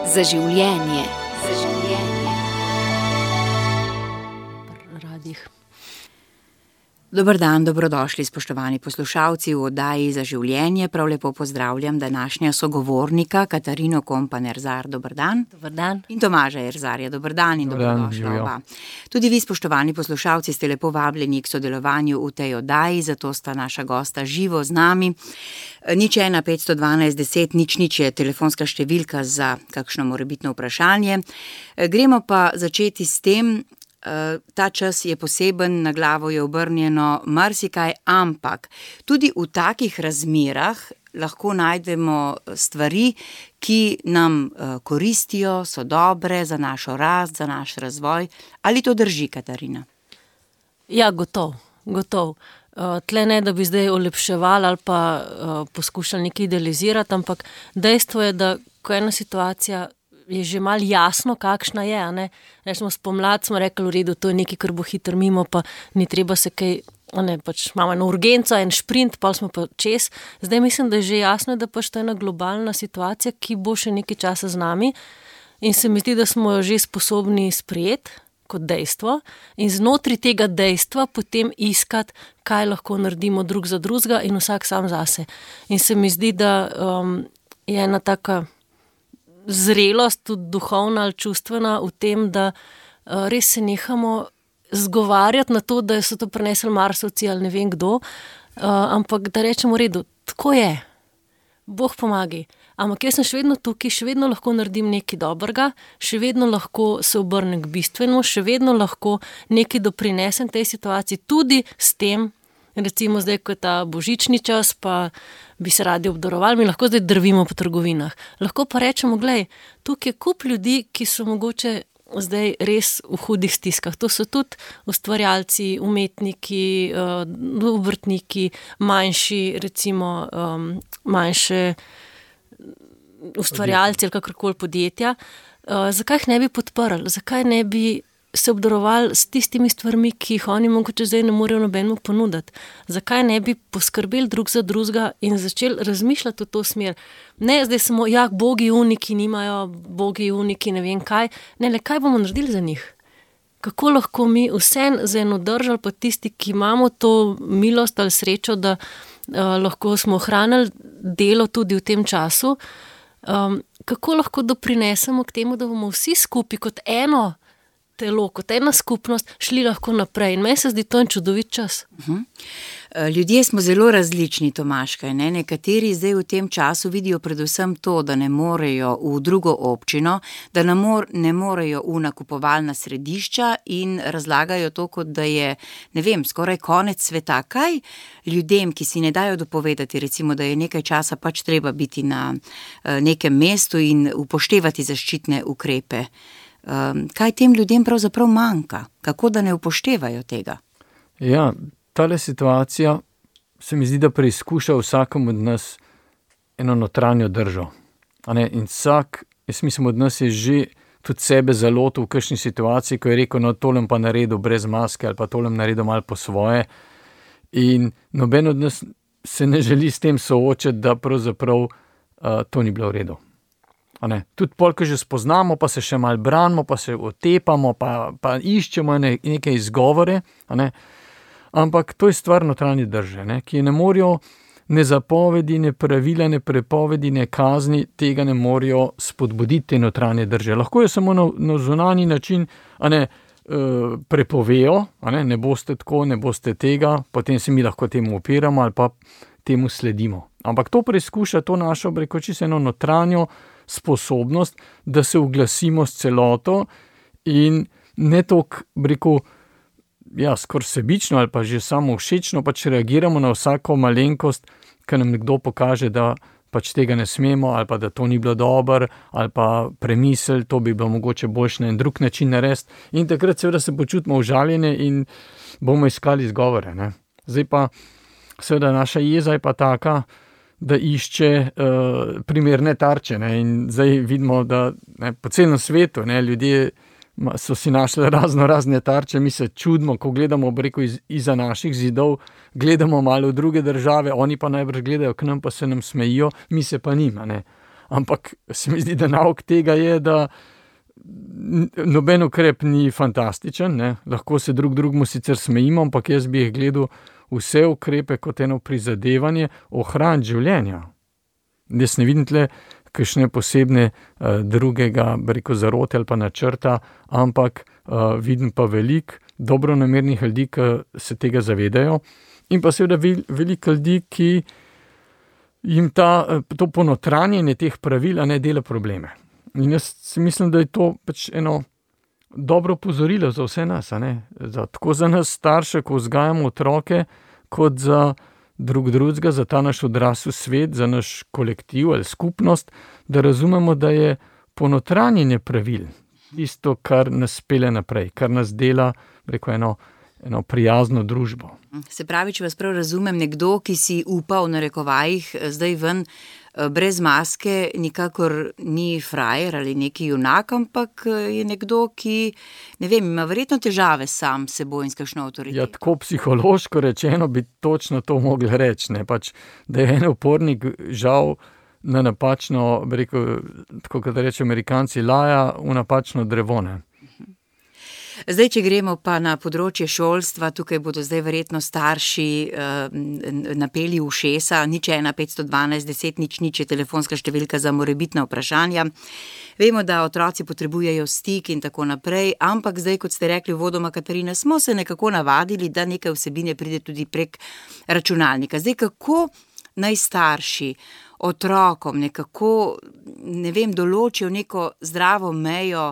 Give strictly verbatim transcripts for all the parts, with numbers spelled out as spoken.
Za življenje. Za življenje. Radih. Dober dan, dobrodošli spoštovani poslušalci v oddaji Za življenje. Prav lepo pozdravljam današnja sogovornika Katarino Kompan-Erzar. Dober dan. Dober dan. In Tomaža Erzarja. Dober dan in dobrodošla oba. Tudi vi, spoštovani poslušalci, ste lepo vabljeni k sodelovanju v tej oddaji, zato sta naša gosta živo z nami. Nič ena petsto dvanajst deset nič nič je telefonska številka za kakšno morebitno vprašanje. Gremo pa začeti s tem. Ta čas je poseben, na glavo je obrnjeno marsikaj, ampak tudi v takih razmerah lahko najdemo stvari, ki nam koristijo, so dobre za našo rast, za naš razvoj. Ali to drži, Katarina? Ja, gotov, gotov. Tle ne, da bi zdaj olepševali ali pa poskušali nekaj idealizirati, ampak dejstvo je, da ko ena situacija je že malo jasno, kakšna je, a ne. Rečemo, spomlad smo rekli, v redu, to je nekaj, kar bo hitro mimo, pa ni treba se kaj, a ne, pač imamo eno urgenco, en šprint, pa smo pa čez. Zdaj mislim, da je že jasno, da pač to je ena globalna situacija, ki bo še nekaj časa z nami in se mi zdi, da smo jo že sposobni sprejeti kot dejstvo in znotraj tega dejstva potem iskati, kaj lahko naredimo drug za drugega in vsak sam zase. In se mi zdi, da um, je ena taka zrelost, tudi duhovna ali čustvena v tem, da uh, res se nehamo zgovarjati na to, da so to prinesli Marsovci ali ne vem kdo, uh, ampak da rečemo, v redu, tako je, Bog pomagi, ampak jaz sem še vedno tukaj, še vedno lahko naredim nekaj dobrega, še vedno lahko se obrnem k bistvenemu, še vedno lahko nekaj doprinesem tej situaciji, tudi s tem, recimo zdaj, ko je ta božični čas, pa bi se radi obdarovali, mi lahko zdaj drvimo po trgovinah. Lahko pa rečemo, glej, tukaj je kup ljudi, ki so mogoče zdaj res v hudih stiskah. To so tudi ustvarjalci, umetniki, obrtniki, manjši, recimo manjše ustvarjalci ali kakorkoli podjetja. Zakaj jih ne bi podprli? Zakaj ne bi se obdarovali s tistimi stvarmi, ki jih oni mogoče zdaj ne morejo nobenemu ponuditi. Zakaj ne bi poskrbeli drug za drugega in začeli razmišljati v to smer? Ne, zdaj samo, ja, bogi uniki nimajo, bogi uniki ne vem kaj. Ne, le, kaj bomo naredili za njih? Kako lahko mi vsem za eno držali, pa tisti, ki imamo to milost ali srečo, da uh, lahko smo ohranili delo tudi v tem času, um, kako lahko doprinesemo k temu, da bomo vsi skupaj kot eno telo, kot ena skupnost, šli lahko naprej. In meni se zdi to en čudovit čas. Uh-huh. Ljudje smo zelo različni, Tomaška, ne? Nekateri zdaj v tem času vidijo predvsem to, da ne morejo v drugo občino, da ne, mor, ne morejo v nakupovalna središča in razlagajo to, kot da je, ne vem, skoraj konec sveta. Kaj ljudem, ki si ne dajo dopovedati, recimo, da je nekaj časa pač treba biti na nekem mestu in upoštevati zaščitne ukrepe, kaj tem ljudem pravzaprav manjka? Kako da ne upoštevajo tega? Ja, tale situacija se mi zdi, da preizkuša vsakom od nas eno notranjo držo. A ne? In vsak, jaz mislim, od nas je že tudi sebe zalotil v kakšni situaciji, ko je rekel, no tolem pa naredil brez maske ali pa tolem naredil malo po svoje. In noben od nas se ne želi s tem soočati, da pravzaprav uh, to ni bilo v redu. Tudi pol, ko že spoznamo, pa se še malo branimo, pa se otepamo, pa, pa iščemo ne, neke izgovore, ne? Ampak to je stvar notranje drže, ne? Ki ne morajo ne zapovedi, ne pravila, ne prepovedi, ne kazni, tega ne morajo spodbuditi te notranje drže. Lahko je samo na, na zunanji način, a ne, uh, prepovejo, a ne, ne boste tako, ne boste tega, potem se mi lahko temu opiramo ali pa temu sledimo. Ampak to preizkuša to našo, breko, čisto eno notranjo sposobnost, da se uglasimo s celoto in ne toliko, rekel, ja, skoraj sebično ali pa že samo všečno pač reagiramo na vsako malenkost, ko nam nekdo pokaže, da pač tega ne smemo ali pa da to ni bilo dobro ali pa premisel, to bi bilo mogoče boljše na en drug način narediti in takrat seveda se počutimo užaljene in bomo iskali izgovore, ne. Zdaj pa seveda naša jeza je pa taka, da išče uh, primerne tarče, ne, in zdaj vidimo, da ne, po celem svetu, ne, ljudje so si našli razno razne tarče, mi se čudimo, ko gledamo, breko, iz, iza naših zidov, gledamo malo v druge države, oni pa najbrž gledajo k nam, pa se nam smejijo, mi se pa nima, ne. ampak se mi zdi, da nauk tega je, da noben ukrep ni fantastičen, ne? Lahko se drug drugmu sicer smejimo, ampak jaz bi jih gledal vse ukrepe kot eno prizadevanje ohraniti življenja. Jaz ne vidim tle kakšne posebne uh, drugega, reko, zarote ali pa načrta, ampak uh, vidim pa veliko dobronamernih ljudi, ki se tega zavedajo, in pa seveda veliko ljudi, ki jim ta, to ponotranjenje teh pravil ne dela probleme. In jaz si mislim, da je to pač eno dobro opozorilo za vse nas, a ne? Za, tako za nas starše, ko vzgajamo otroke, kot za drug drugega, za ta naš odrasel svet, za naš kolektiv ali skupnost, da razumemo, da je ponotranjenje pravil tisto, kar nas pelje naprej, kar nas dela, reko, eno, eno prijazno družbo. Se pravi, če vas prav razumem, nekdo, ki si upa v narekovajih zdaj ven brez maske, nikakor ni frajer ali neki junak, ampak je nekdo, ki, ne vem, ima verjetno težave sam s seboj in s kakšno avtoriteto. Ja, tako psihološko rečeno bi točno to mogli reči, ne, pač, da je en upornik žal na napačno, bi rekel, tako kot reče Amerikanci, laja v napačno drevo, ne. Zdaj, če gremo pa na področje šolstva, tukaj bodo zdaj verjetno starši eh, napeli ušesa, nič ena petsto dvanajst deset nič nič je telefonska številka za morebitna vprašanja. Vemo, da otroci potrebujejo stik in tako naprej, ampak zdaj, kot ste rekli uvodoma, Katarina, smo se nekako navadili, da nekaj vsebine pride tudi prek računalnika. Zdaj, kako naj starši otrokom nekako, ne vem, določijo neko zdravo mejo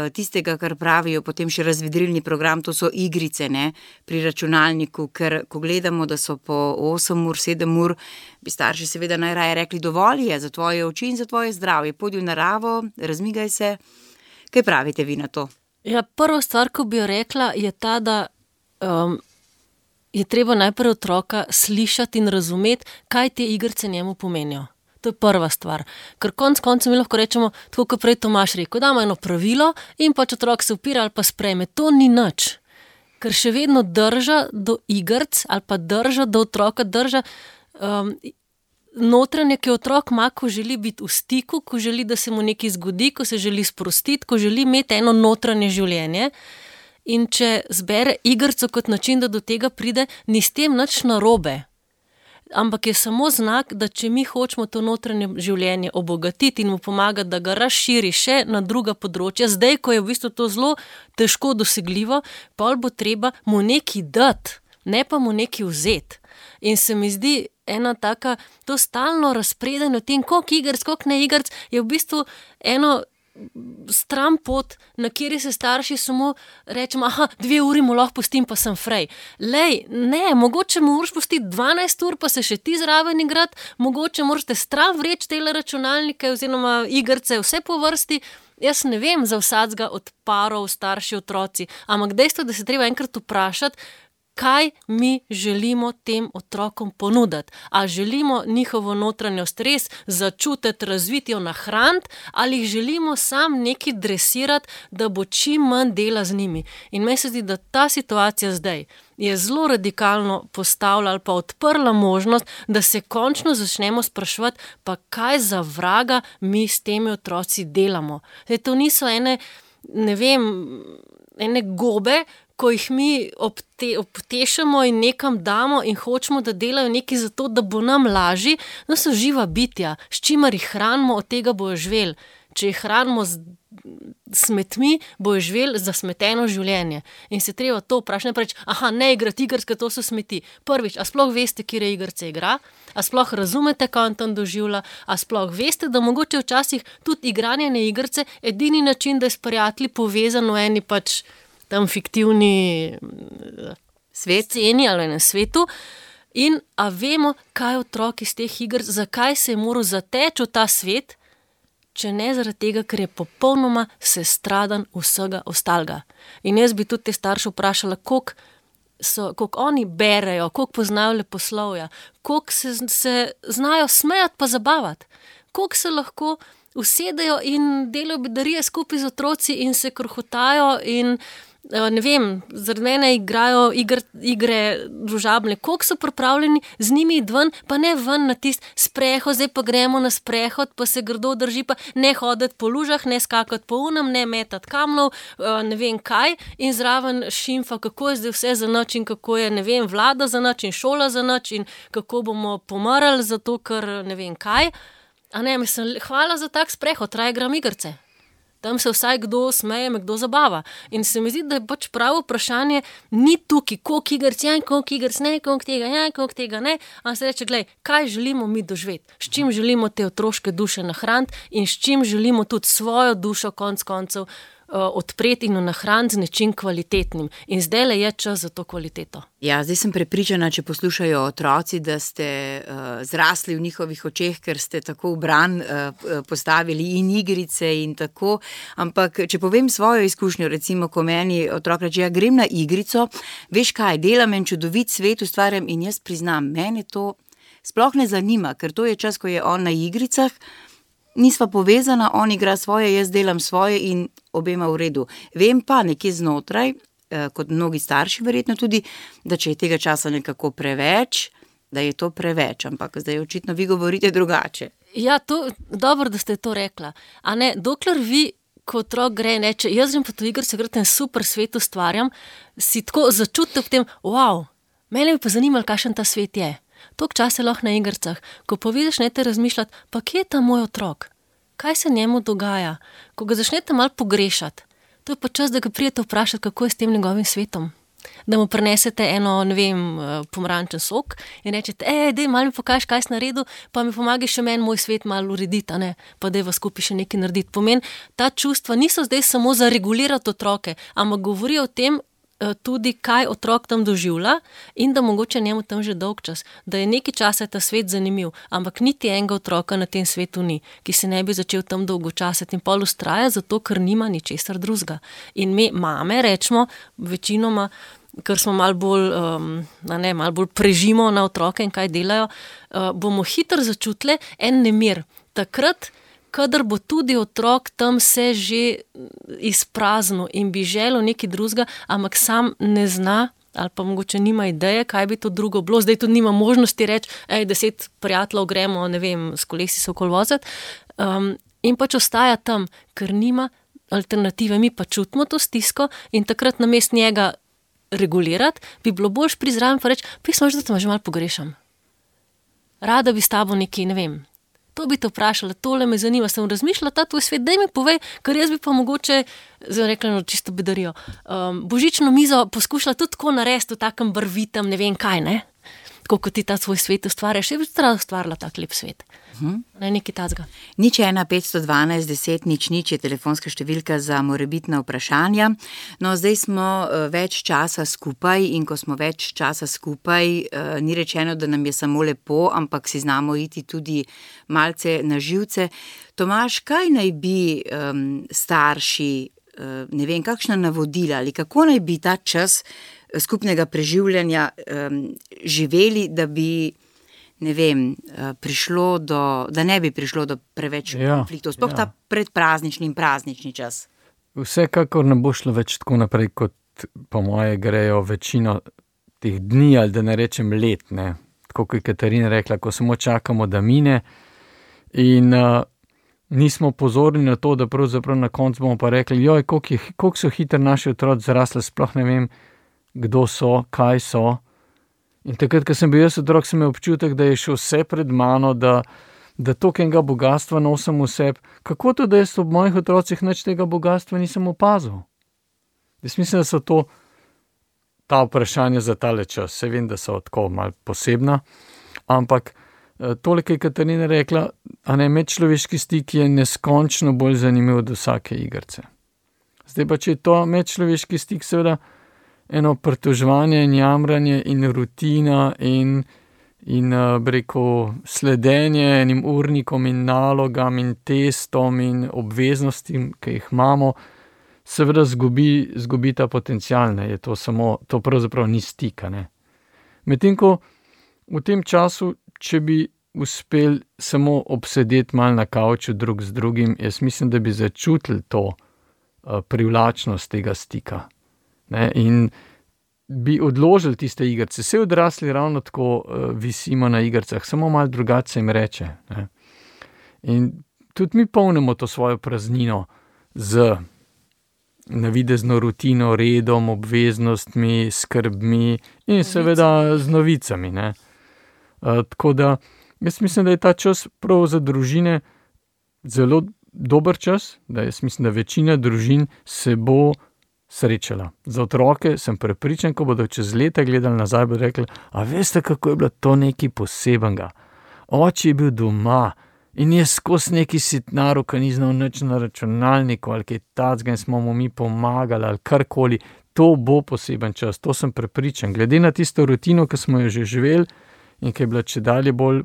tistega, kar pravijo potem še razvedrilni program, to so igrice, ne, pri računalniku, ker ko gledamo, da so po osem ur, sedem ur, bi starši seveda najraje rekli, dovolj je za tvoje oči in za tvoje zdravje, pojdi v naravo, razmigaj se. Kaj pravite vi na to? Ja, prva stvar, ko bi jo rekla, je ta, da um, je treba najprej otroka slišati in razumeti, kaj te igrice njemu pomenijo. To je prva stvar. Ker konc konca mi lahko rečemo, tako kot prej Tomaž rekel, damo eno pravilo in pač otrok se upira ali pa sprejme. To ni nič. Ker še vedno drža do igrc ali pa drža do otroka, drža um, notranje, ki otrok ima, ko želi biti v stiku, ko želi, da se mu nekaj zgodi, ko se želi sprostiti, ko želi imeti eno notranje življenje. In če zbere igrco kot način, da do tega pride, ni s tem nič narobe. Ampak je samo znak, da če mi hočemo to notranje življenje obogatiti in mu pomagati, da ga razširi še na druga področja, zdaj, ko je v bistvu to zelo težko dosegljivo, pol bo treba mu nekaj dati, ne pa mu nekaj vzeti. In se mi zdi ena taka, to stalno razpredanje o tem, koliko igrc, koliko ne igrc, je v bistvu eno stran pot, na kjer se starši samo rečemo, aha, dve uri mu lahko pustim, pa sem frej. Lej, ne, mogoče mu moraš pustiti dvanajst ur, pa se še ti zraven igrati, mogoče moraš stran vreči tele računalnike oziroma igrce, vse po vrsti. Jaz ne vem za vsakega od parov, starši, otroci, ampak dejstvo, da se treba enkrat vprašati, kaj mi želimo tem otrokom ponuditi. A želimo njihovo notranjost res začutiti, razviti jo, nahraniti, ali jih želimo sam nekaj dresirati, da bo čim manj dela z njimi. In meni se zdi, da ta situacija zdaj je zelo radikalno postavila ali pa odprla možnost, da se končno začnemo spraševati, pa kaj za vraga mi s temi otroci delamo. Zdaj, to niso ene, ne vem, ene gobe, ko jih mi obte, obtešamo in nekam damo in hočemo, da delajo nekaj za to, da bo nam lažji, no so živa bitja, s čimer jih hranimo, od tega bojo živeli. Če jih hranimo z smetmi, bojo živeli za smeteno življenje. In se treba to vprašati, ne preč, aha, ne igrati igric, ker to so smeti. Prvič, a sploh veste, kire igrice igra? A sploh razumete, kaj on tam doživlja? A sploh veste, da mogoče včasih tudi igranje ne igrice edini način, da je s prijatelji povezan v eni pač tam fiktivni svet, sceni ali na svetu. In a vemo, kaj otrok iz teh iger, zakaj se je moral zateči v ta svet, če ne zaradi tega, ker je popolnoma sestradan vsega ostalega. In jaz bi tudi te starše vprašala, koliko so, koliko oni berejo, koliko poznajo leposlovja, koliko se, se znajo smejati pa zabavati, koliko se lahko usedejo in delajo bedarije skupaj z otroci in se krohotajo in ne vem, zaradi mene igrajo igr, igre družabne, koliko so pripravljeni z njimi ven, pa ne ven na tist sprehod, zdaj pa gremo na sprehod, pa se grdo drži, pa ne hoditi po lužah, ne skakati po unem, ne metati kamnov, ne vem kaj, in zraven šimfa, kako je zdaj vse za nič in kako je, ne vem, vlada za nič in šola za nič in kako bomo pomrli zato, ker ne vem kaj. A ne, mislim, hvala za tak sprehod, raje gram igrce. Tam se vsaj kdo smeje, me kdo zabava. In se mi zdi, da je pač pravo vprašanje, ni tukaj, koliko igrc je, koliko igrc ne, koliko tega je, koliko tega ne, a se reče, glej, kaj želimo mi doživeti, s čim želimo te otroške duše nahraniti in s čim želimo tudi svojo dušo konc koncev odpreti in nahraniti z nečim kvalitetnim. In zdajle je čas za to kvaliteto. Ja, zdaj sem prepričana, če poslušajo otroci, da ste uh, zrasli v njihovih očeh, ker ste tako v bran uh, postavili in igrice in tako, ampak če povem svojo izkušnjo, recimo, ko meni otrok reče, ja, grem na igrico, veš kaj, delam en čudovit svet, ustvarjam in jaz priznam, mene to sploh ne zanima, ker to je čas, ko je on na igricah, nisva povezana, on igra svoje, jaz delam svoje in obema v redu. Vem pa nekje znotraj, kot mnogi starši verjetno tudi, da če je tega časa nekako preveč, da je to preveč, ampak zdaj očitno vi govorite drugače. Ja, to, dobro, da ste to rekla. A ne, dokler vi, ko otrok gre, neče, jaz grem pa to igr, se gre ten super svet ustvarjam, si tako začutite v tem, wow, mene bi pa zanimalo, kakšen ta svet je. Toliko časa lahko na igrcah, ko pa vidiš, ne te razmišljati, pa kje je ta moj otrok? Kaj se njemu dogaja? Ko ga začnete malo pogrešati, to je pa čas, da ga prijete vprašati, kako je s tem njegovim svetom. Da mu prinesete eno, ne vem, pomarančen sok in rečete, ej, dej, malo mi pokaži, kaj si naredil, pa mi pomagi še meni moj svet malo urediti, a ne, pa dej vas skupaj še nekaj narediti. Pomeni, ta čustva niso zdaj samo za regulirati otroke, ampak govorijo o tem, tudi kaj otrok tam doživlja in da mogoče njemu tam že dolg čas, da je nekaj časa ta svet zanimiv, ampak niti enega otroka na tem svetu ni, ki se ne bi začel tam dolgočasiti in pol ustraja, zato ker nima ničesar drugega. In mi, mame, rečemo, večinoma, ker smo malo bolj, um, ne, malo bolj prežimo na otroke in kaj delajo, uh, bomo hitro začutili en nemir. Takrat, kadar bo tudi otrok tam se že izpraznil in bi želel nekaj drugega, ampak sam ne zna ali pa mogoče nima ideje, kaj bi to drugo bilo. Zdaj tudi nima možnosti reči, ej, deset prijateljev gremo, ne vem, s kolesi se okoli voziti. Um, in pač ostaja tam, ker nima alternative. Mi pa čutimo to stisko in takrat namesto njega regulirati, bi bilo boljš prizraven pa reči, pismo, da te že malo pogrešam. Rada bi s tabo nekaj, ne vem, to bi te vprašala, tole me zanima, sem razmišljala, ta tvoj svet, daj mi povej, ker jaz bi pa mogoče, zdaj rekla, no, čisto bedarijo, um, božično mizo poskušala tudi tako narediti v takem barvitem, ne vem kaj, ne? Tako kot ti ta svoj svet ustvarjaš, je bi tudi ustvarila tak lep svet. Hmm. Ne, nekaj tacga. Nič ena petsto dvanajst deset nič nič je telefonska številka za morebitna vprašanja. No, zdaj smo uh, več časa skupaj in ko smo več časa skupaj, uh, ni rečeno, da nam je samo lepo, ampak si znamo iti tudi malce na živce. Tomaž, kaj naj bi um, starši, uh, ne vem, kakšna navodila ali kako naj bi ta čas skupnega preživljanja um, živeli, da bi ne vem, prišlo do, da ne bi prišlo do preveč ja, konfliktov, sploh ja. Ta predpraznični in praznični čas. Vsekakor ne bo šlo več tako naprej, kot po moje grejo večino teh dni, ali da ne rečem let, ne. Tako kot je Katarina rekla, ko samo čakamo, da mine in uh, nismo pozorni na to, da pravzaprav na koncu bomo pa rekli, joj, koliko, je, koliko so hitro naši otroci zrasli, sploh ne vem, kdo so, kaj so. In takrat, ko sem bil jaz otrok, sem imel občutek, da je še vse pred mano, da, da tokenega bogatstva nosim v sebi. Kako to, da jaz ob mojih otrocih nič tega bogatstva nisem opazil? Jaz mislim, da so to ta vprašanja za tale čas. Se vem, da so tako malo posebna, ampak toliko je Katarina rekla, a ne, medčloveški stik je neskončno bolj zanimiv od vsake igrce. Zdaj pa, če je to medčloveški stik, seveda, eno pritoževanje in jamranje in rutina in, in breko, sledenje enim urnikom in nalogam in testom in obveznostim, ki jih imamo, seveda zgubi, zgubi ta potencial, ne, je to samo, to pravzaprav ni stika, ne. Medtem ko v tem času, če bi uspel samo obsedeti malo na kavču drug z drugim, jaz mislim, da bi začutili to uh, privlačnost tega stika. Ne? In bi odložili tiste igrice. Vse odrasli ravno tako uh, visimo na igricah, samo malo drugače jim reče. Ne? In tudi mi polnimo to svojo praznino z navidezno rutino, redom, obveznostmi, skrbmi in seveda z novicami. Ne? Uh, tako da jaz mislim, da je ta čas prav za družine zelo dober čas, da jaz mislim, da večina družin se bo srečala. Za otroke sem prepričan, ko bodo čez leta gledali nazaj, bodo rekli, a veste, kako je bilo to nekaj posebenega. Oče je bil doma in je skozi neki sitnaru, ki ni znal nič na računalniku ali kaj tacga in smo mu mi pomagali ali karkoli. To bo poseben čas, to sem prepričan. Glede na tisto rutino, ki smo jo že živeli in ki je bila čedalje bolj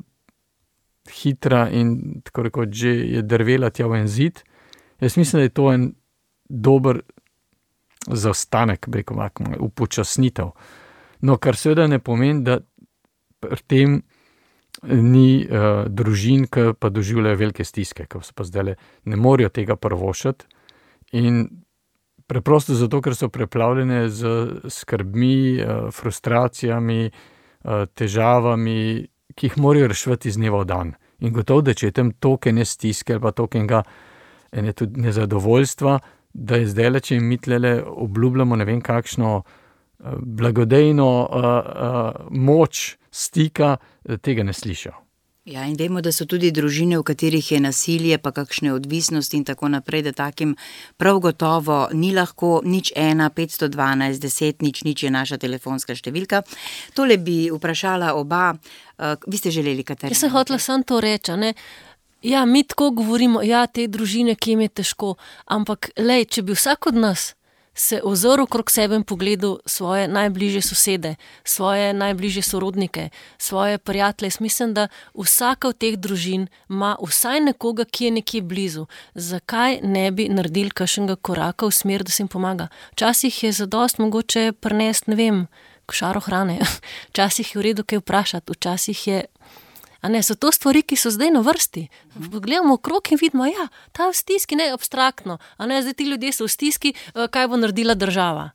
hitra in tako rekoč že je drvela tja v en zid, jaz mislim, da je to en dober zaostanek, rekel bi, upočasnitev. No, kar seveda ne pomeni, da pri tem ni uh, družin, ki pa doživljajo velike stiske, ki se pa zdaj ne morejo tega prvošati in preprosto zato, ker so preplavljene z skrbmi, uh, frustracijami, uh, težavami, ki jih morajo reševati iz dneva v dan. In gotovo, da če je tam toliko ene stiske ali pa toliko enega ene tudi nezadovoljstva, da je zdaj, če jim mi tlele obljubljamo ne vem kakšno uh, blagodejno uh, uh, moč stika, tega ne slišijo. Ja, in vemo, da so tudi družine, v katerih je nasilje, pa kakšne odvisnosti in tako naprej, da takim prav gotovo ni lahko. Nič ena, petsto dvanajst, deset, nič, nič je naša telefonska številka. Tole bi vprašala oba, uh, vi ste želeli, Katarina? Jaz sem hotela samo to reči, ne? Ja, mi tako govorimo, ja, te družine, ki jim je težko, ampak lej, če bi vsak od nas se ozrl okrog sebe in pogledal svoje najbližje sosede, svoje najbližje sorodnike, svoje prijatelje. Mislim, da vsaka od teh družin ima vsaj nekoga, ki je nekje blizu. Zakaj ne bi naredili kakšnega koraka v smer, da se jim pomaga? Včasih je zadost mogoče prinesti, ne vem, košaro hrane. Včasih je v redu kaj vprašati, včasih je... A ne, so to stvari, ki so zdaj na vrsti. Gledamo okrog in vidimo, ja, ta v stiski, ne, abstraktno. A ne, zdaj ti ljudje so v stiski, kaj bo naredila država?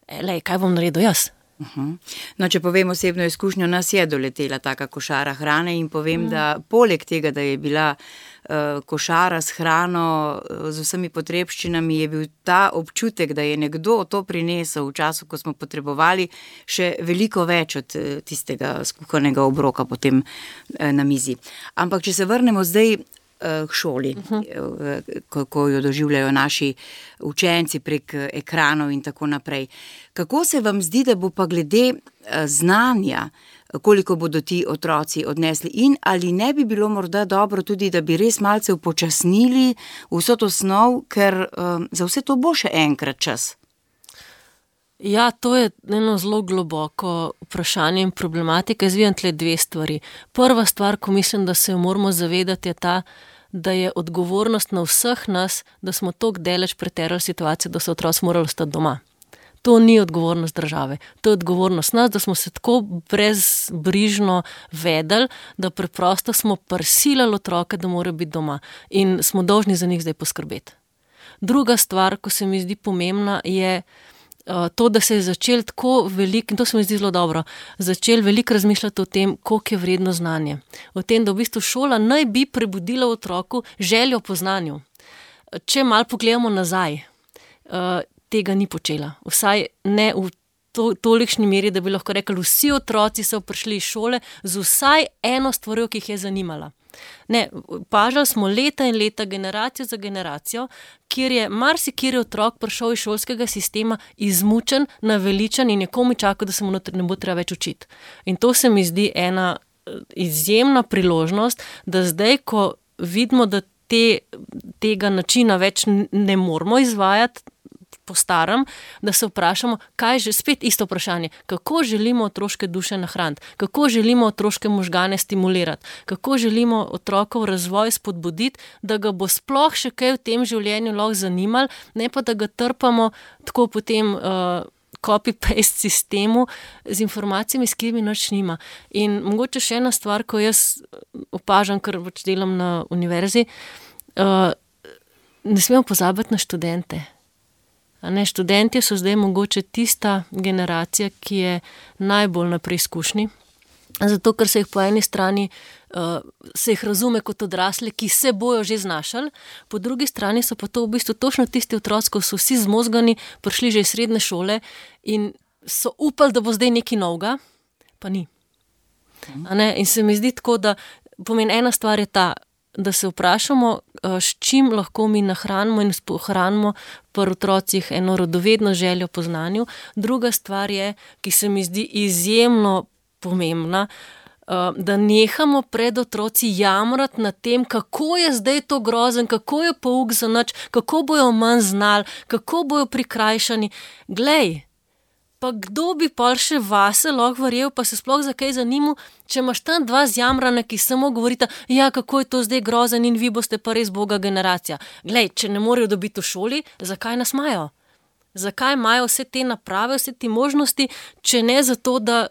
E, lej, kaj bom naredil jaz? Uh-huh. No, če povem osebno izkušnjo, nas je doletela taka košara hrane in povem, mm. da poleg tega, da je bila uh, košara s hrano, uh, z vsemi potrebščinami, je bil ta občutek, da je nekdo to prinesel v času, ko smo potrebovali, še veliko več od uh, tistega skuhanega obroka potem uh, na mizi. Ampak, če se vrnemo zdaj k šoli, uh-huh. ko, ko jo doživljajo naši učenci prek ekranov in tako naprej. Kako se vam zdi, da bo pa glede znanja, koliko bodo ti otroci odnesli in ali ne bi bilo morda dobro tudi, da bi res malce upočasnili vso to snov, ker um, za vse to bo še enkrat čas? Ja, to je eno zelo globoko vprašanje in problematika. Jaz vidim tle dve stvari. Prva stvar, ko mislim, da se jo moramo zavedati, je ta, da je odgovornost na vseh nas, da smo toliko daleč preterali situacijo, da so otroci morali ostati doma. To ni odgovornost države. To je odgovornost nas, da smo se tako brezbrižno vedeli, da preprosto smo prisilili otroke, da morajo biti doma. In smo dolžni za njih zdaj poskrbeti. Druga stvar, ko se mi zdi pomembna, je to, da se je začel tako veliko, in to se mi zdi zelo dobro, začel veliko razmišljati o tem, koliko je vredno znanje. O tem, da v bistvu šola naj bi prebudila v otroku željo po znanju. Če malo pogledamo nazaj, tega ni počela. Vsaj ne v to, tolikšni meri, da bi lahko rekli, vsi otroci so prišli iz šole z vsaj eno stvarjo, ki jih je zanimala. Ne, pažali smo leta in leta, generacijo za generacijo, kjer je marsikateri otrok prišel iz šolskega sistema izmučen, naveličan in je komaj čakal, da se mu ne bo treba več učiti. In to se mi zdi ena izjemna priložnost, da zdaj, ko vidimo, da te, tega načina več ne moramo izvajati po starem, da se vprašamo, kaj že, spet isto vprašanje, kako želimo otroške duše nahraniti, kako želimo otroške možgane stimulirati, kako želimo otrokov razvoj spodbuditi, da ga bo sploh še kaj v tem življenju lahko zanimalo, ne pa da ga trpamo tako potem uh, copy-paste sistemu z informacijami, s katerimi nič nima. In mogoče še ena stvar, ko jaz opažam, ker pač delam na univerzi, uh, ne smemo pozabiti na študente. A ne, študentje so zdaj mogoče tista generacija, ki je najbolj na preizkušnji, zato ker se jih po eni strani uh, se jih razume kot odrasle, ki se bojo že znašali, po drugi strani so pa to v bistvu točno tisti otroci, ko so vsi zmozgani, prišli že iz srednje šole in so upali, da bo zdaj nekaj novega, pa ni. A ne, in se mi zdi tako, da pomeni ena stvar je ta, da se vprašamo, s čim lahko mi nahranimo in pohranimo pri otrocih eno radovedno željo po znanju. Druga stvar je, ki se mi zdi izjemno pomembna, da nehamo pred otroci jamrati nad tem, kako je zdaj to grozen, kako je pouk za nič, kako bojo manj znali, kako bojo prikrajšani. Glej, pa kdo bi pol še vase lahko verjel, pa se sploh za kaj zanimal, če imaš tam dva zjamrana, ki samo govorita, ja, kako je to zdaj grozen in vi boste pa res boga generacija. Glej, če ne morejo dobiti v šoli, zakaj nas imajo? Zakaj imajo vse te naprave, vse te možnosti, če ne zato, da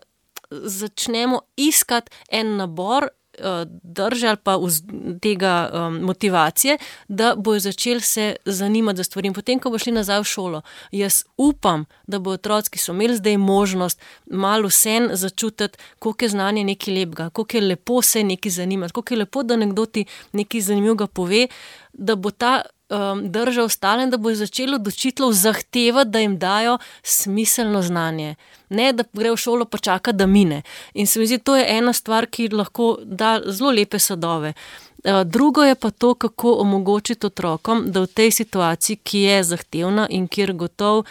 začnemo iskati en nabor drže ali pa tega um, motivacije, da bojo začeli se zanimati za stvari. In potem, ko bo šli nazaj v šolo, jaz upam, da bo otroci, ki so imeli zdaj možnost malo vsem začutiti, koliko je znanje nekaj lepega, koliko je lepo se nekaj zanimati, koliko je lepo, da nekdo ti nekaj zanimivega pove, da bo ta um, drža ostala in da bo začelo od učiteljev zahtevati, da jim dajo smiselno znanje. Ne, da gre v šolo pa čaka, da mine. In se mi zdi, to je ena stvar, ki lahko da zelo lepe sadove. Drugo je pa to, kako omogočiti otrokom, da v tej situaciji, ki je zahtevna in kjer gotov,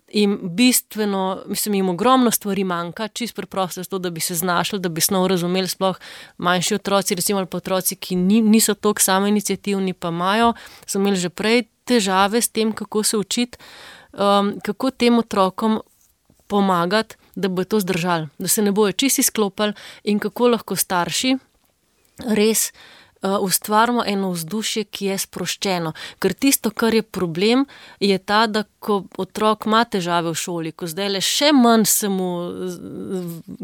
jim bistveno, mislim, jim ogromno stvari manjka, čisto preprosto to, da bi se znašli, da bi snov razumeli, sploh manjši otroci, recimo ali pa otroci, ki ni, niso toliko samoiniciativni, pa imajo, so imeli že prej težave s tem, kako se učiti, um, kako tem otrokom pomagati, da bojo to zdržali, da se ne bojo čisto izklopili in kako lahko starši res uh, ustvarimo eno vzdušje, ki je sproščeno. Ker tisto, kar je problem, je ta, da ko otrok ima težave v šoli, ko zdaj le še manj se mu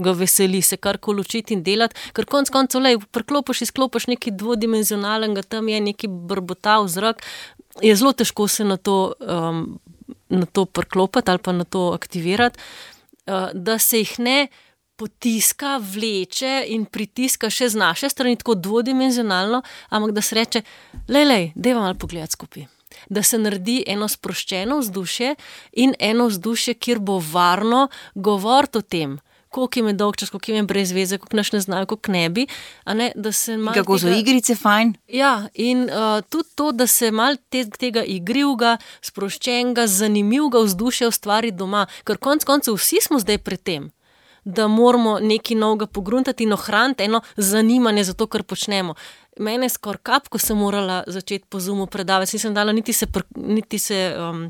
ga veseli se karkoli učiti in delati, ker konc koncev, lej, preklopiš, izklopiš nekaj dvodimenzionalnega, tam je neki brbotav zrak, je zelo težko se na to um, na to priklopiti ali pa na to aktivirati, da se jih ne potiska, vleče in pritiska še z naše strani tako dvodimenzionalno, ampak da se reče, lej, lej, dajva malo pogledati skupaj. Da se naredi eno sproščeno vzdušje in eno vzdušje, kjer bo varno govoriti o tem, koliko jim je dolg čas, koliko jim je brez veze, koliko naš ne znajo, koliko ne bi. A ne, da se malo kako so tega, igrice fajn. Ja, in uh, tudi to, da se malo te, tega igrivga, sproščenega, zanimivega vzdušja ustvari doma, ker konc koncev vsi smo zdaj pred tem, da moramo nekaj novega pogruntati in ohraniti eno zanimanje za to, kar počnemo. Mene skor kap, ko sem morala začeti po Zoomu predavati, nisem dala niti se, pr, niti se um,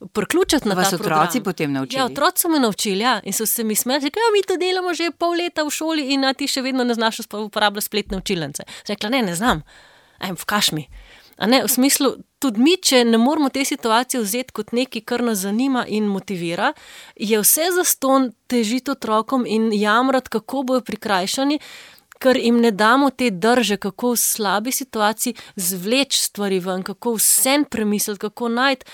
priključiti na ta program. Vas otroci potem naučili? Ja, otroci so me naučili, ja, in so se mi smeli, rekli, ja, mi to delamo že pol leta v šoli in a ti še vedno ne znaš uporabljati spletne učilnice. Rekla, ne, ne znam, aj, vkaš mi. A ne, v smislu, tudi mi, če ne moramo te situacije vzeti kot nekaj, kar nas zanima in motivira, je vse zastonj težiti otrokom in jamrati, kako bojo prikrajšani, ker jim ne damo te drže, kako v slabi situaciji zvleči stvari ven, kako vsem premisliti, kako najti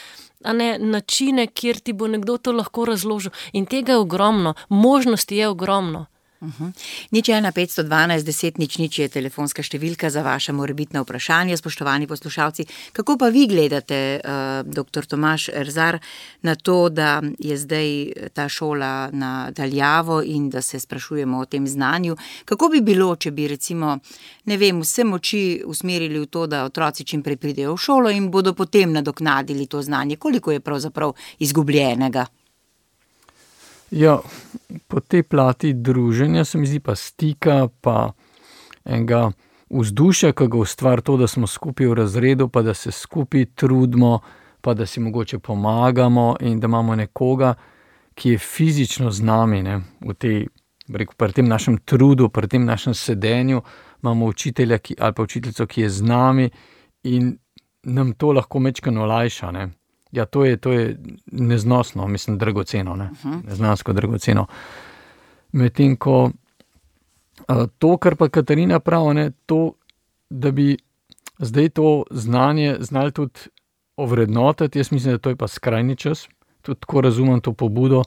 a ne, načine, kjer ti bo nekdo to lahko razložil. In tega je ogromno, možnosti je ogromno. Uh-huh. Nič ena petsto dvanajst deset nič nič je telefonska številka za vaše morebitne vprašanje, spoštovani poslušalci. Kako pa vi gledate, uh, doktor Tomaž Erzar, na to, da je zdaj ta šola na daljavo in da se sprašujemo o tem znanju? Kako bi bilo, če bi recimo, ne vem, vse moči usmerili v to, da otroci čim prej pridejo v šolo in bodo potem nadoknadili to znanje? Koliko je pravzaprav izgubljenega? Ja, po tej plati druženja se mi zdi pa stika, pa enega vzdušja, ki ga ustvari to, da smo skupaj v razredu, pa da se skupaj trudimo, pa da si mogoče pomagamo in da imamo nekoga, ki je fizično z nami, ne, v tej, rekel, pri tem našem trudu, pri tem našem sedenju, imamo učitelja ki, ali pa učiteljico, ki je z nami in nam to lahko mečkano olajša, ne. Ja, to je, to je neznosno, mislim, dragoceno, ne? Uh-huh. Neznansko dragoceno. Medtem ko to, kar pa Katarina pravi, ne, to, da bi zdaj to znanje znali tudi ovrednotiti, jaz mislim, da to je pa skrajni čas, tudi tako razumem to pobudo,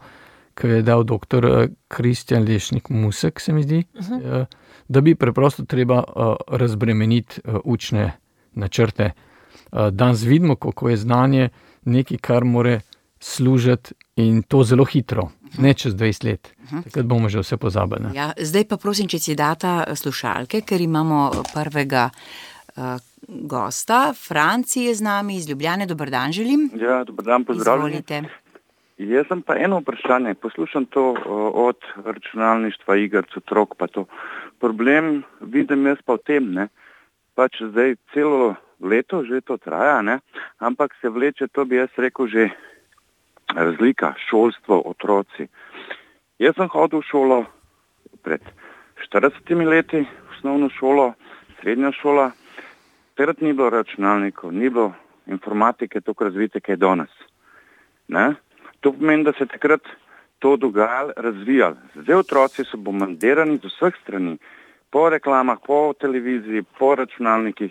ki je dal doktor Kristjan Lešnik Musek, se mi zdi, uh-huh. da bi preprosto treba razbremeniti učne načrte. Danes vidimo, kako je znanje nekaj, kar more služiti in to zelo hitro, ne čez dvajset let. Uh-huh. Takrat bomo že vse pozabili. Ja, zdaj pa prosim, če si data slušalke, ker imamo prvega uh, gosta. Franci je z nami iz Ljubljane. Dober dan želim. Ja, dober dan, pozdravljeni. Izvolite. Jaz sem pa eno vprašanje. Poslušam to od računalništva, igrc, otrok, pa to. Problem vidim jaz pa v tem, ne. Pač zdaj celo leto že to traja, ne, ampak se vleče, to bi jaz rekel, že razlika, šolstvo, otroci. Jaz sem hodil v šolo pred štiridesetimi leti, osnovno šolo, srednja šola, takrat ni bilo računalnikov, ni bilo informatike tako razvite, kaj je danes. Ne? To pomeni, da se takrat to dogajalo, razvijalo. Zdaj otroci so bombardirani z vseh strani, po reklamah, po televiziji, po računalnikih.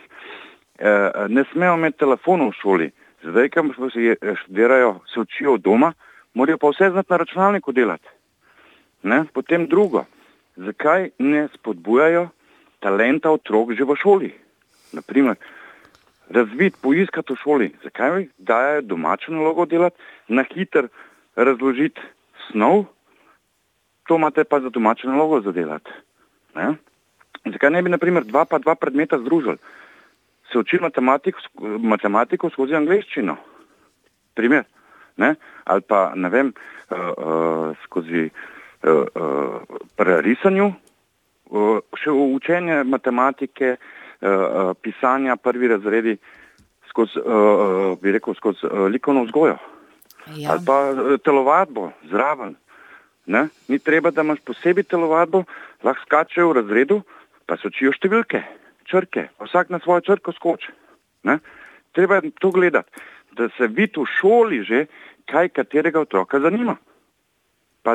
E, ne smejo imeti telefonov v šoli. Zdaj, kam se študirajo, se učijo doma, morajo pa vse znati na računalniku delati. Ne? Potem drugo, zakaj ne spodbujajo talenta otrok že v šoli? Naprimer, razviti, poiskati v šoli. Zakaj dajajo domačo nalogo delati, na hiter razložiti snov, to imate pa za domačo nalogo zadelati. Ne? Zakaj ne bi, naprimer, dva pa dva predmeta združili? Se uči matematiko, matematiko skozi angleščino. Primer. Ne? Ali pa, ne vem, uh, uh, skozi uh, uh, prerisanju, uh, še učenje matematike, uh, uh, pisanja, prvi razredi, skozi, uh, bi rekel, skozi uh, likovno vzgojo. Ja. Ali pa uh, telovadbo, zraven. Ne? Ni treba, da imaš posebej telovadbo, lahko skačejo v razredu, pa se učijo številke, črke, vsak na svojo črko skoči. Ne? Treba je to gledati, da se vidi v šoli že, kaj katerega otroka zanima. Pa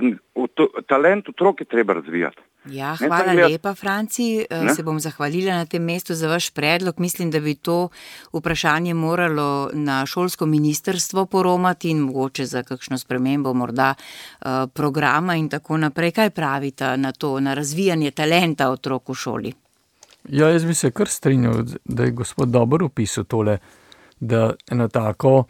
to, talent otrok je treba razvijati. Ja, hvala lepa, Franci. Ne? Se bom zahvalila na tem mestu za vaš predlog. Mislim, da bi to vprašanje moralo na šolsko ministrstvo poromati in mogoče za kakšno spremembo morda uh, programa in tako naprej. Kaj pravite na to, na razvijanje talenta otrok v šoli? Ja, jaz bi se kar strinjal, da je gospod dobro opisal tole, da ena tako,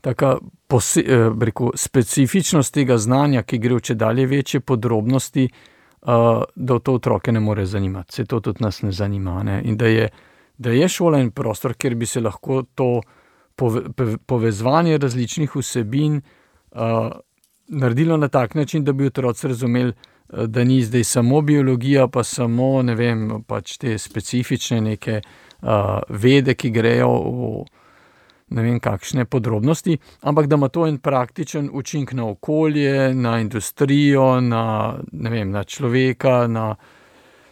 taka pose, rekel, specifičnost tega znanja, ki gre v čedalje večje podrobnosti, uh, da v to otroke ne more zanimati. Se to tudi nas ne zanima. Ne? In da je, da je šola in prostor, kjer bi se lahko to pove, povezovanje različnih vsebin uh, naredilo na tak način, da bi otroci razumeli, da ni zdaj samo biologija, pa samo, ne vem, pač te specifične neke uh, vede, ki grejo v ne vem kakšne podrobnosti, ampak da ima to en praktičen učinek na okolje, na industrijo, na, ne vem, na človeka, na,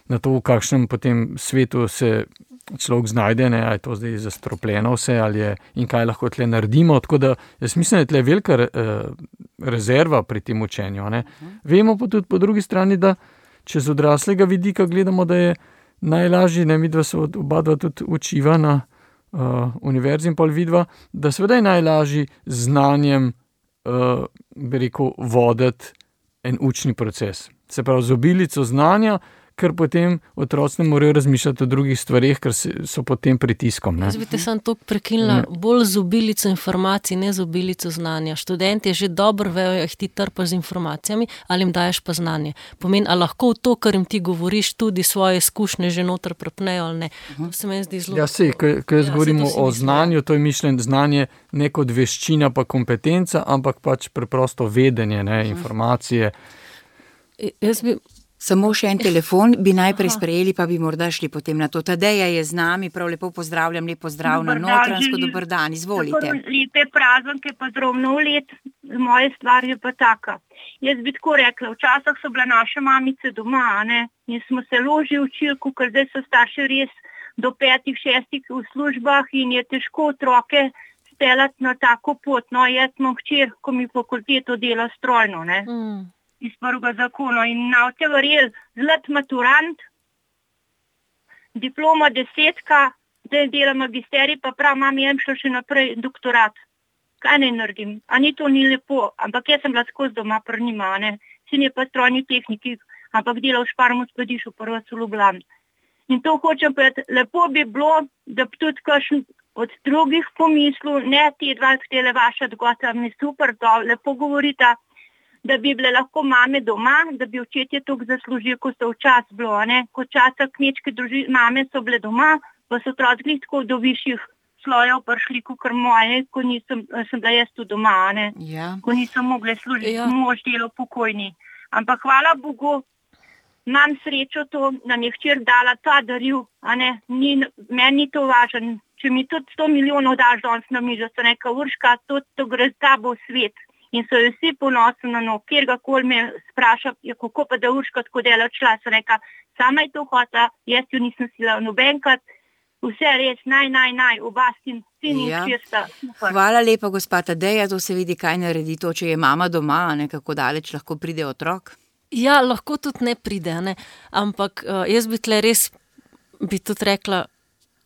na to, v kakšnem potem svetu se človek znajde, ne, ali je to zdaj zastropljeno vse, ali je, in kaj lahko tle naredimo. Tako da jaz mislim, da je tle velika uh, rezerva pri tem učenju. Ne. Vemo pa tudi po drugi strani, da če z odraslega vidika gledamo, da je najlažje, ne vidva se oba dva tudi učiva na uh, univerzi in pol vidva, da seveda je najlažje znanjem, uh, bi rekel, voditi en učni proces. Se pravi, z obilico znanja, ker potem otroci ne morejo razmišljati o drugih stvareh, ker so pod tem pritiskom. Ne? Jaz bi te sam toliko prekinila, bolj z obilico informacij, ne z obilico znanja. Študenti že dobro vejo, jih ti trpaš z informacijami, ali jim daješ pa znanje. Pomeni, a lahko v to, kar jim ti govoriš, tudi svoje izkušnje že noter prepnejo ali ne. To se meni zdi zelo... Ja, sej, ko jaz ja, govorimo o znanju, to je mišljen znanje ne kot veščina pa kompetenca, ampak pač preprosto vedenje, ne, informacije. Jaz bi... Samo še en telefon bi najprej sprejeli, pa bi morda šli potem na to. Tadeja je z nami, prav lepo pozdravljam, lep pozdrav na Notranjsko, dober dan, izvolite. Lepe prazanke, pa zdrav nov let, moja stvar je pa taka. Jaz bi tako rekla, včasih so bila naše mamice doma, ne, in smo se loži učili, ker zdaj so starši res do petih, šestih v službah in je težko otroke speljati na tako pot. No, jaz imam hčer, ko mi fakulteto dela strojno, ne. Mm. iz prvega zakona in na vse verjel zlat maturant, diploma desetka, zdaj dela magisterij, pa prav, mam jem šlo še naprej doktorat. kaj naj naredim, a ni to ni lepo, ampak jaz sem bila skozi doma pri njima, ne, sin je pa strojni tehniki, ampak delal v Šparmu Skladišču, prvo v Ljubljani. In to hočem povedati, lepo bi bilo, da bi tudi kakšen od drugih pomislil, ne te dva, tele vaša odgota, mi super, to lepo govorita, da bi bile lahko mame doma, da bi očetje toliko zaslužili, ko so včas bilo, ne, ko časa kmečke družine, mame so bile doma, pa so otroci tako do višjih slojev prišli, kot moje, ko nisem, sem bila jaz tu doma, ne, ja. Ko nisem mogla služiti, Ja. mož delo pokojni. Ampak hvala Bogu, imam srečo to, nam je hčer dala ta daril, a ne, ni, meni ni to važen. Če mi tudi sto milijonov daš danes na mižo, so neka Urška, to, to gre z tabo v svet. In so jo vsi ponosni na no, kjergakoli me spraša, ja, kako pa da Urška tako dela odšla, so neka, sama je to hota, jaz jo nisem sila nobenkrat, vse res, naj, naj, naj, oba sin, sin in Ja. hčersta. Super. Hvala lepa, gospa Tadeja, to se vidi, kaj naredi to, če je mama doma, a ne, kako daleč lahko pride otrok. Ja, lahko tudi ne pride, ne? Ampak uh, jaz bi tle res, bi tudi rekla,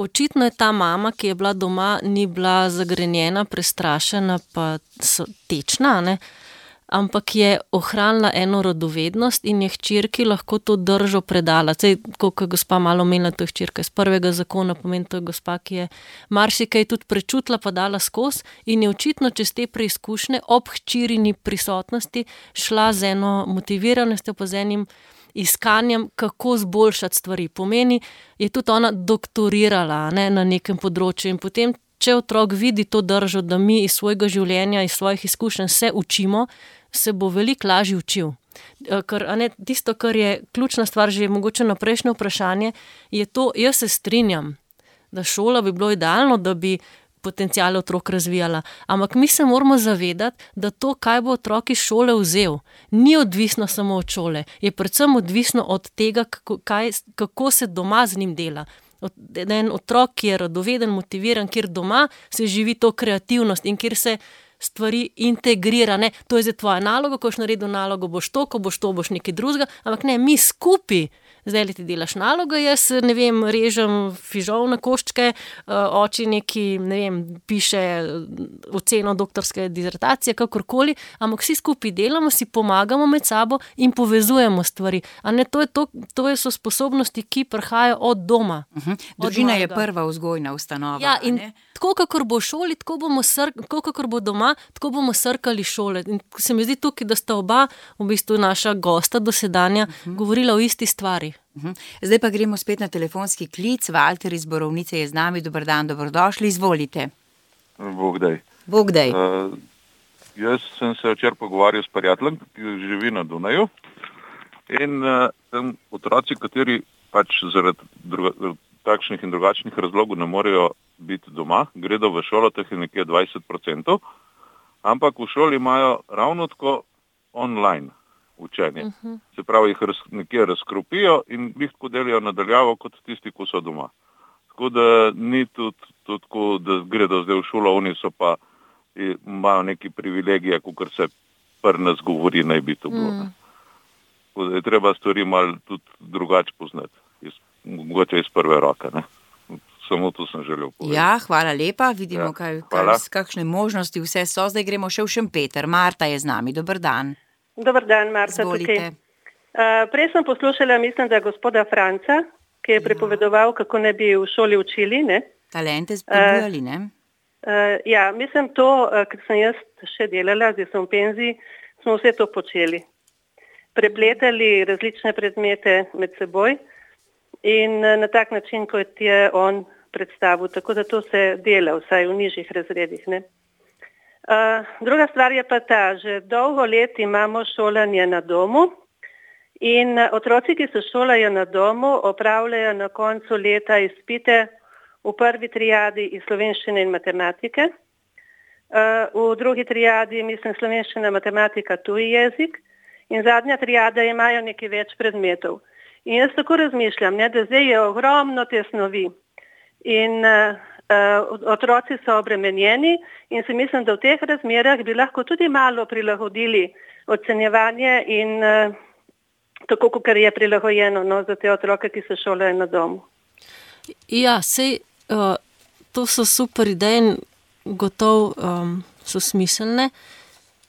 očitno je ta mama, ki je bila doma, ni bila zagrenjena, prestrašena, pa so tečna, ne? Ampak je ohranila eno radovednost in je hčerki lahko to držo predala. Sej, kot je gospa malo omenila, to je hčerka iz prvega zakona, pomeni to je gospa, ki je marsikaj tudi prečutila, pa dala skozi in je očitno čez te preizkušnje ob hčirini prisotnosti šla z eno motiviranostjo, pa z enim iskanjem, kako zboljšati stvari. Pomeni, je tudi ona doktorirala, ne, na nekem področju in potem, če otrok vidi to držo, da mi iz svojega življenja, iz svojih izkušenj se učimo, se bo veliko lažje učil. Ker, a ne, tisto, kar je ključna stvar, že mogoče na prejšnje vprašanje, je to, jaz se strinjam, da šola bi bilo idealno, da bi potenciale otrok razvijala. Ampak mi se moramo zavedati, da to, kaj bo otrok iz šole vzel, ni odvisno samo od šole, je predvsem odvisno od tega, kako, kaj, kako se doma z njim dela. En otrok, ki je radoveden, motiviran, kjer doma se živi to kreativnost in kjer se stvari integrira. Ne? To je zdaj tvoja naloga, ko boš naredil nalogo, boš to, ko boš to, boš nekaj drugega, ampak ne, mi skupaj. Zdaj li ti delaš nalogo, jaz ne vem, režem fižol na koščke, oči neki, ne vem, piše oceno doktorske dizertacije, kakorkoli, ampak vsi skupaj delamo, si pomagamo med sabo in povezujemo stvari. A ne, to je to, to so sposobnosti, ki prihajajo od doma. Uh-huh. Družina je prva vzgojna ustanova. Ja, in ne? tako, kakor bo v šoli, tako bomo sr, tako, kakor bo doma, tako bomo srkali šole. In se mi zdi tukaj, da sta oba, v bistvu naša gosta dosedanja, uh-huh. govorila o isti stvari. Uh-huh. Zdaj pa gremo spet na telefonski klic. Valter iz Borovnice je z nami. Dober dan, dobrodošli, izvolite. Bog daj. Bog daj. Uh, jaz sem se včeraj pogovarjal s prijateljem, ki živi na Dunaju. In uh, tam otroci, kateri pač zaradi druga, takšnih in drugačnih razlogov ne morejo biti doma, gredo v šolo, teh je nekje dvajset procentov, ampak v šoli imajo ravno tako online učenje. Uh-huh. Se pravi, jih raz, nekje razkropijo in jih tako delijo nadaljavo kot tisti, ko so doma. Tako da ni tudi tako, da gredo zdaj v šolo, oni so pa imajo neki privilegije, kot se pri nas govori, naj bi to bilo. Uh-huh. Tako da je treba stvari malo tudi drugače poznati, iz, mogoče iz prve roke, ne. Samo to sem želel povedati. Ja, hvala lepa. Vidimo, ja, kaj, kaj, kakšne možnosti vse so. Zdaj gremo še v Šempeter. Marta je z nami. Dober dan. Dober dan, Marta. Zvolite. Uh, prej sem poslušala, mislim, da gospoda Franca, ki je ja. prepovedoval, kako ne bi v šoli učili. Ne? Talente spodbujali, ne? Uh, ja, mislim to, uh, ker sem jaz še delala, zdaj sem v penziji, smo vse to počeli. Prepletali različne predmete med seboj in uh, na tak način, kot je on predstavil. Tako da to se dela, vsaj v nižjih razredih, ne? Uh, druga stvar je pa ta, že dolgo let imamo šolanje na domu in otroci, ki se šolajo na domu, opravljajo na koncu leta izpite v prvi triadi iz slovenščine in matematike, uh, v drugi triadi, mislim, slovenščina, matematika, tuji jezik in zadnja triada imajo nekaj več predmetov. In jaz tako razmišljam, ne, da zdaj je ogromno te snovi in uh, Uh, otroci so obremenjeni in si mislim, da v teh razmerah bi lahko tudi malo prilagodili ocenjevanje in uh, tako, kot je prilagojeno, no, za te otroke, ki se šolajo na domu. Ja, sej, uh, to so super ideje in gotov, um, so smiselne.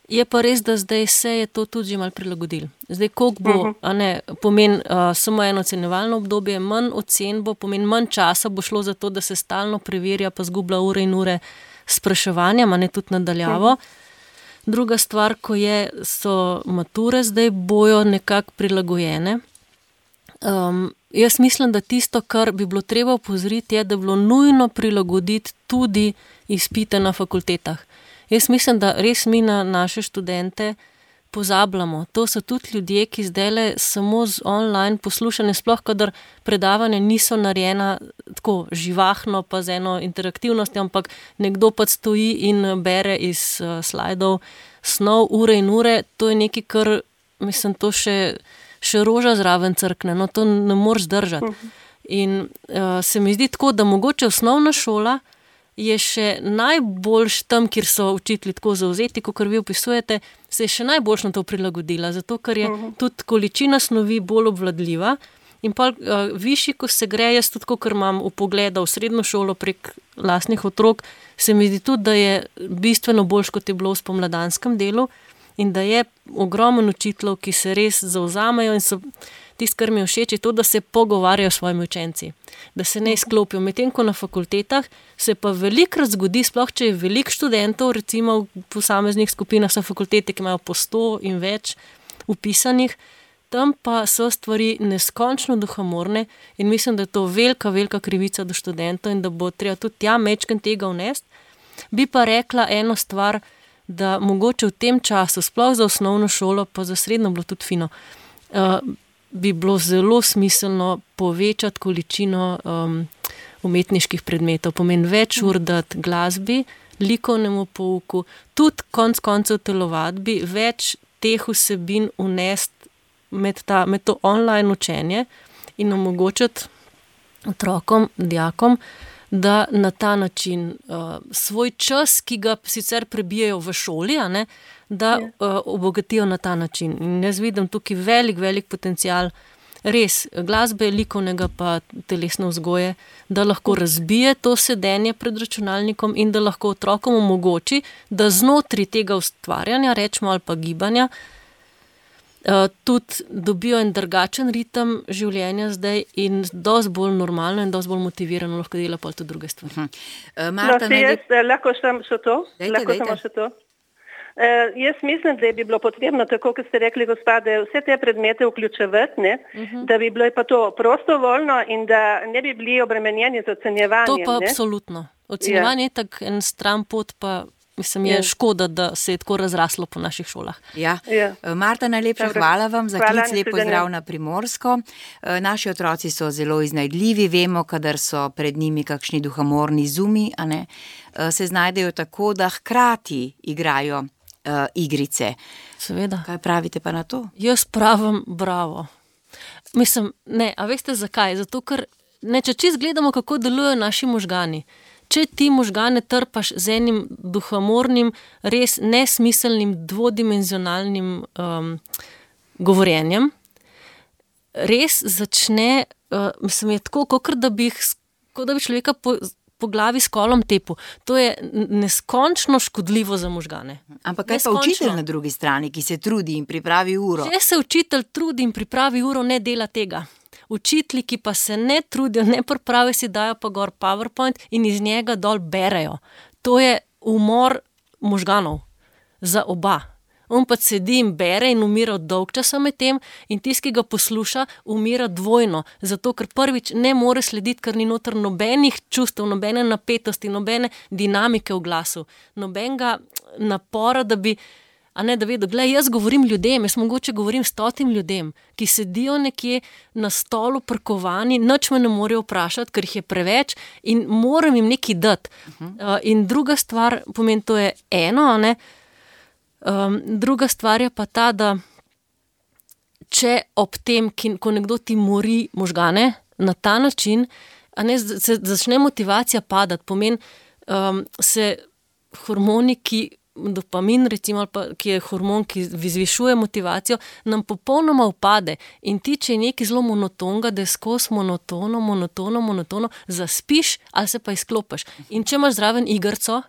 Je pa res, da zdaj se je to tudi že malo prilagodilo. Zdaj, koliko bo, uh-huh. a ne, pomeni uh, samo eno ocenjevalno obdobje, manj ocen bo, pomeni manj časa bo šlo za to, da se stalno preverja, pa zgublja ure in ure spraševanja, a ne tudi nadaljavo. Uh-huh. Druga stvar, ko je, so mature zdaj bojo nekako prilagojene. Um, jaz mislim, da tisto, kar bi bilo treba opozoriti, je, da bi bilo nujno prilagoditi tudi izpite na fakultetah. Jaz mislim, da res mi na naše študente pozabljamo. To so tudi ljudje, ki zdajle samo z online poslušanje, sploh kadar predavanja niso narejena tako živahno, pa z eno interaktivnostjo, ampak nekdo pa stoji in bere iz uh, slajdov snov ure in ure. To je nekaj, kar, mislim, to še, še roža zraven crkne. No, to ne moreš zdržati. In uh, se mi zdi tako, da mogoče osnovna šola je še najboljš tam, kjer so učitelji tako zauzeti, kot vi opisujete, se je še najboljš na to prilagodila, zato ker je uh-huh. tudi količina snovi bolj obvladljiva in pa uh, višji, ko se gre, jaz tudi, ker imam upogleda v srednjo šolo prek lastnih otrok, se mi zdi tudi, da je bistveno boljš, kot je bilo v spomladanskem delu in da je ogromen učiteljev, ki se res zauzamejo in so tisto, kar mi je všeč, je to, da se pogovarjajo s svojimi učenci, da se ne izklopijo. Medtem ko na fakultetah se pa velikokrat zgodi, sploh če je veliko študentov, recimo v posameznih skupinah so fakultete, ki imajo po sto in več upisanih, tam pa so stvari neskončno duhamorne in mislim, da je to velika, velika krivica do študentov in da bo treba tudi tja mečken tega vnesti. Bi pa rekla eno stvar, da mogoče v tem času, sploh za osnovno šolo, pa za srednjo bilo tudi fino, uh, bi bilo zelo smiselno povečati količino um, umetniških predmetov. Pomeni več ur dati glasbi, likovnemu pouku, tudi konc koncev telovadbi, več teh vsebin vnesti med, ta, med to online učenje in omogočiti otrokom, dijakom, da na ta način uh, svoj čas, ki ga sicer prebijajo v šoli, a ne, da uh, obogatijo na ta način. In jaz vidim tukaj velik, velik potencial res glasbe, likovnega pa telesne vzgoje, da lahko razbije to sedenje pred računalnikom in da lahko otrokom omogoči, da znotraj tega ustvarjanja, rečemo ali pa gibanja, Uh, tudi dobijo en drugačen ritem življenja zdaj in dosti bolj normalno in dosti bolj motivirano lahko dela pa tudi druge stvari. Uh-huh. Uh, Marta, no, jaz, ne... lahko sem še to? Dejte, lahko dejte. Še to? Uh, jaz mislim, da bi bilo potrebno, tako kot ste rekli, gospode, vse te predmete vključevati, ne? Uh-huh. Da bi bilo pa to prostovoljno in da ne bi bili obremenjeni z ocenjevanjem. To pa ne? Absolutno. Ocenjevanje je tak en stran pot, pa mislim, je ja. Škoda, da se je tako razraslo po naših šolah. Ja. Ja. Marta, najlepša Dobre. Hvala vam za hvala, klic, lep pozdrav na Primorsko. Naši otroci so zelo iznajdljivi, vemo, kadar so pred njimi kakšni duhamorni zumi, a ne, se znajdejo tako, da hkrati igrajo uh, igrice. Seveda. Kaj pravite pa na to? Jaz pravim bravo. Mislim, ne, a veste zakaj? Zato, ker ne, če čist gledamo, kako delujejo naši možgani. Če ti možgane trpaš z enim duhamornim, res nesmiselnim, dvodimenzionalnim um, govorjenjem, res začne, uh, mislim, je tako, kot da bi, da bi človeka po, po glavi s kolom tepu. To je neskončno škodljivo za možgane. Ampak kaj neskončno. Pa učitelj na drugi strani, ki se trudi in pripravi uro? Če se učitelj trudi in pripravi uro, ne dela tega. Učitelji, ki pa se ne trudijo, ne pripravijo, si dajo pa gor PowerPoint in iz njega dol berejo. To je umor možganov za oba. On pa sedi in bere in umira dolg časa med tem in tisti, ki ga posluša, umira dvojno. Zato, ker prvič ne more slediti, ker ni noter nobenih čustev, nobene napetosti, nobene dinamike v glasu, nobenega napora, da bi a ne, da vedo, glej, jaz govorim ljudem, jaz mogoče govorim stotim ljudem, ki sedijo nekje na stolu prkovani, nič me ne morejo vprašati, ker jih je preveč in moram jim nekaj dati. Uh-huh. Uh, in druga stvar, pomeni, to je eno, a ne, um, druga stvar je pa ta, da če ob tem, ki, ko nekdo ti mori možgane na ta način, a ne, se začne motivacija padati, pomeni, um, se hormoni, ki dopamin, recimo, pa, ki je hormon, ki zvišuje motivacijo, nam popolnoma upade. In ti, če je nekaj zelo monotonga, da je skozi monotono, monotono, monotono, zaspiš ali se pa izklopiš. In če imaš zraven igrco,